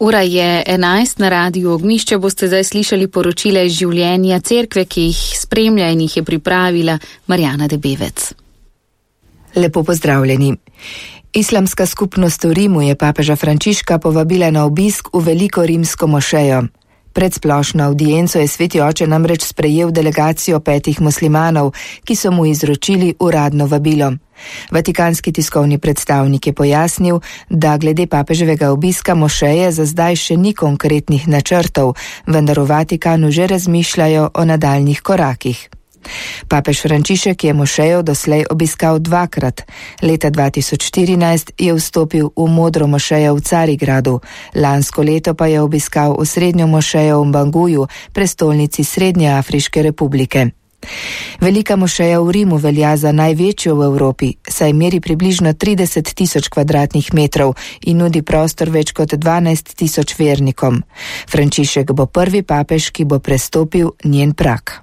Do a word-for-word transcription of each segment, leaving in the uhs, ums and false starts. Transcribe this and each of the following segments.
Ura je enajst, na Radiu Ognjišče boste zdaj slišali poročile iz življenja cerkve, ki jih spremlja in jih je pripravila Marjana Debevec. Lepo pozdravljeni. Islamska skupnost v Rimu je papeža Frančiška povabila na obisk v veliko rimsko mošejo. Pred splošno avdienco je sveti oče namreč sprejel delegacijo petih muslimanov, ki so mu izročili uradno vabilo. Vatikanski tiskovni predstavnik je pojasnil, da glede papeževega obiska mošeje za zdaj še ni konkretnih načrtov, vendar v Vatikanu že razmišljajo o nadaljnjih korakih. Papež Frančišek je mošejo doslej obiskal dvakrat. Leta dva tisoč štirinajst je vstopil v modro mošejo v Carigradu, lansko leto pa je obiskal osrednjo mošejo v Banguju, prestolnici Srednje Afriške republike. Velika mošeja v Rimu velja za največjo v Evropi, saj meri približno trideset tisoč kvadratnih metrov in nudi prostor več kot dvanajst tisoč vernikom. Frančišek bo prvi papež, ki bo prestopil njen prag.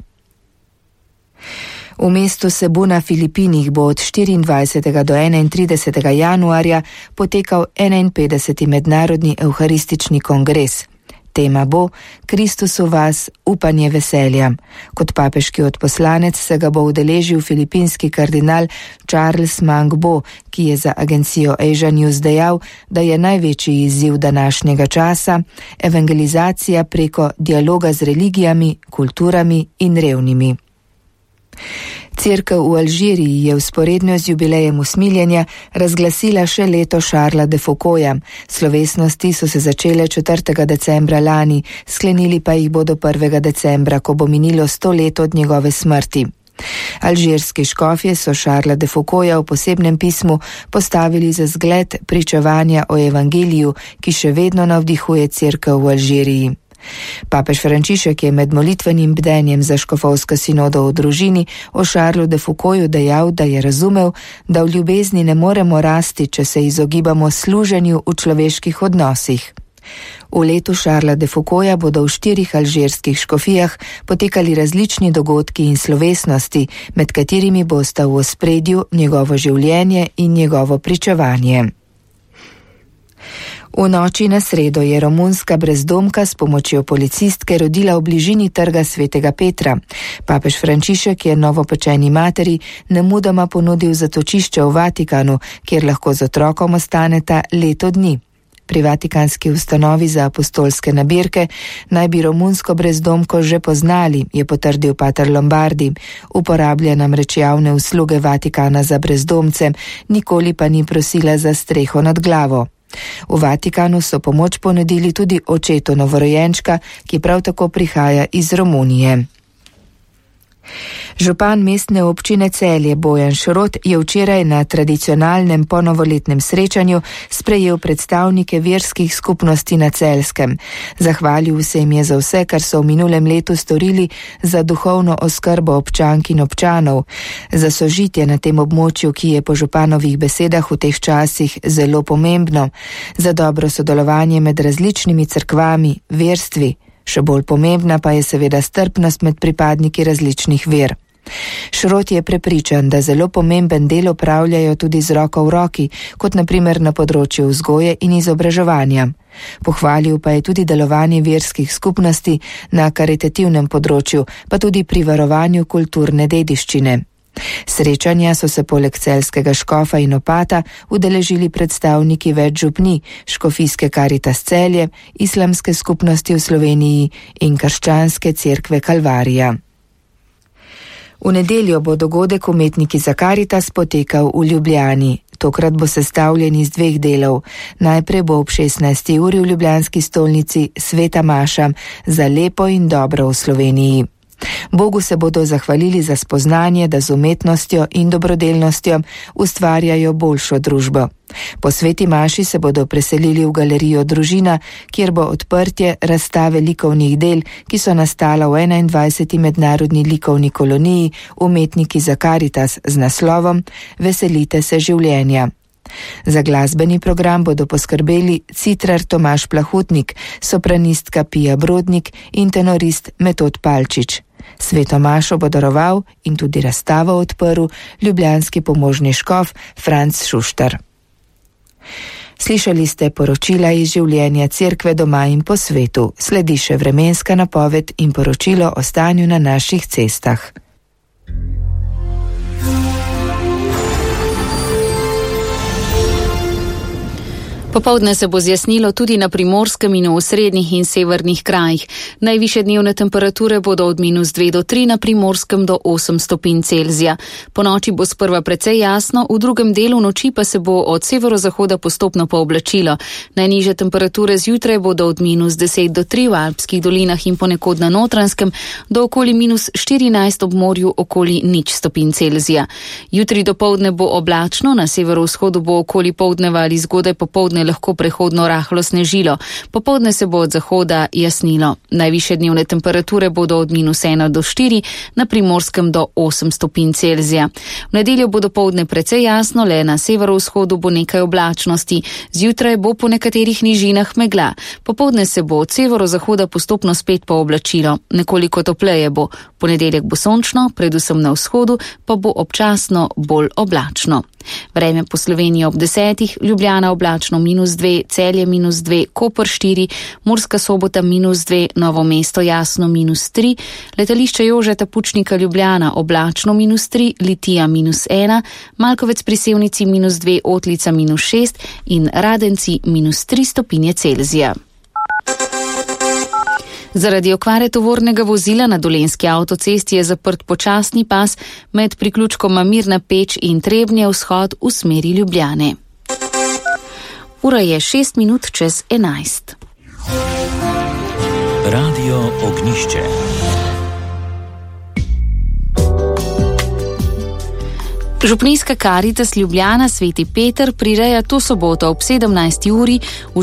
V mestu Cebu na Filipinih bo od štiriindvajsetega do enaintridesetega januarja potekal enainpetdeseti mednarodni evharistični kongres. Tema bo Kristus v vas, upanje veselja. Kot papeški odposlanec se ga bo udeležil filipinski kardinal Charles Mangbo, ki je za agencijo Asia News dejal, da je največji izziv današnjega časa evangelizacija preko dialoga z religijami, kulturami in revnimi. Cerkev v Alžiriji je vzporedno z jubilejem usmiljenja razglasila še leto Šarla de Foucaulta. Slovesnosti so se začele četrtega decembra lani, sklenili pa jih bodo prvega decembra, ko bo minilo sto let od njegove smrti. Alžirski škofje so Šarla de Foucaulta v posebnem pismu postavili za zgled pričevanja o evangeliju, ki še vedno navdihuje cerkev v Alžiriji. Papež Frančišek je med molitvenim bdenjem za škofovsko sinodo v družini o Šarlu de Foucaultu dejal, da je razumel, da v ljubezni ne moremo rasti, če se izogibamo služenju v človeških odnosih. V letu Šarla de Foucaulta bodo v štirih alžirskih škofijah potekali različni dogodki in slovesnosti, med katerimi bosta v ospredju njegovo življenje in njegovo pričevanje. V noči na sredo je romunska brezdomka s pomočjo policistke rodila v bližini trga Svetega Petra. Papež Frančišek je novopečeni materi nemudoma ponudil zatočišče v Vatikanu, kjer lahko z otrokom ostaneta leto dni. Pri vatikanski ustanovi za apostolske nabirke naj bi romunsko brezdomko že poznali, je potrdil pater Lombardi. Uporablja namreč javne usluge Vatikana za brezdomce, nikoli pa ni prosila za streho nad glavo. V Vatikanu so pomoč ponudili tudi očetu novorojenčka, ki prav tako prihaja iz Romunije. Župan mestne občine Celje Bojan Šrot je včeraj na tradicionalnem ponovoletnem srečanju sprejel predstavnike verskih skupnosti na Celjskem. Zahvalil se jim je za vse, kar so v minulem letu storili za duhovno oskrbo občank in občanov, za sožitje na tem območju, ki je po županovih besedah v teh časih zelo pomembno, za dobro sodelovanje med različnimi cerkvami, verstvi. Še bolj pomembna pa je seveda strpnost med pripadniki različnih ver. Šrot je prepričan, da zelo pomemben del opravljajo tudi z roko v roki, kot na primer na področju vzgoje in izobraževanja. Pohvalil pa je tudi delovanje verskih skupnosti na karitativnem področju, pa tudi pri varovanju kulturne dediščine. Srečanja so se poleg celjskega škofa in opata udeležili predstavniki več župni, škofijske Karitas Celje, islamske skupnosti v Sloveniji in krščanske cerkve Kalvarija. V nedeljo bo dogodek Umetniki za Karitas potekal v Ljubljani. Tokrat bo sestavljen iz dveh delov. Najprej bo ob šestnajsti uri v ljubljanski stolnici sveta maša za lepo in dobro v Sloveniji. Bogu se bodo zahvalili za spoznanje, da z umetnostjo in dobrodelnostjo ustvarjajo boljšo družbo. Po sveti maši se bodo preselili v galerijo Družina, kjer bo odprtje razstave likovnih del, ki so nastala v enaindvajseti mednarodni likovni koloniji Umetniki za Karitas z naslovom Veselite se življenja. Za glasbeni program bodo poskrbeli citrar Tomaž Plahutnik, sopranistka Pija Brodnik in tenorist Metod Palčič. Sveto mašo bo daroval in tudi razstavo odprl ljubljanski pomožni škof Franc Šuštar. Slišali ste poročila iz življenja cerkve doma in po svetu. Sledi še vremenska napoved in poročilo o stanju na naših cestah. Popoldne se bo zjasnilo tudi na Primorskem in v osrednjih in severnih krajih. Najvišje dnevne temperature bodo od minus dve do tri, na Primorskem do osem stopinj Celzija. Po noči bo sprva precej jasno, v drugem delu noči pa se bo od severozahoda postopno pooblačilo. Najnižje temperature zjutraj bodo od minus deset do tri v Alpskih dolinah in ponekod na Notranjskem, do okoli minus štirinajst ob morju, okoli nič stopinj Celzija. Jutri dopoldne bo oblačno, na severovzhodu bo okoli poldneva ali zgodaj popoldne lahko prehodno rahlo snežilo. Popoldne se bo od zahoda jasnilo. Najvišje dnevne temperature bodo od minus ena do štiri, na Primorskem do osem stopinj Celzija. V nedeljo bo dopoldne precej jasno, le na severovzhodu bo nekaj oblačnosti. Zjutraj bo po nekaterih nižinah megla. Popoldne se bo od severozahoda postopno spet pooblačilo. Nekoliko topleje bo. Ponedeljek bo sončno, predvsem na vzhodu, pa bo občasno bolj oblačno. Vreme po Sloveniji ob desetih, Ljubljana oblačno minus dve, Celje minus dve, Koper štiri, Murska Sobota minus dve, Novo mesto jasno minus tri, letališče Jožeta Pučnika Ljubljana oblačno minus tri, Litija minus ena, Malkovec pri Sevnici minus dve, Otlica minus šest in Radenci minus tri stopinje Celzija. Zaradi okvare tovornega vozila na Dolenjski avtocesti je zaprt počasni pas med priključkoma Mirna Peč in Trebnje vzhod v smeri Ljubljane. Ura je šest minut čez enajst. Radio Ognjišče. Župnijska Karitas Ljubljana Sveti Peter prireja to soboto ob sedemnajsti uri v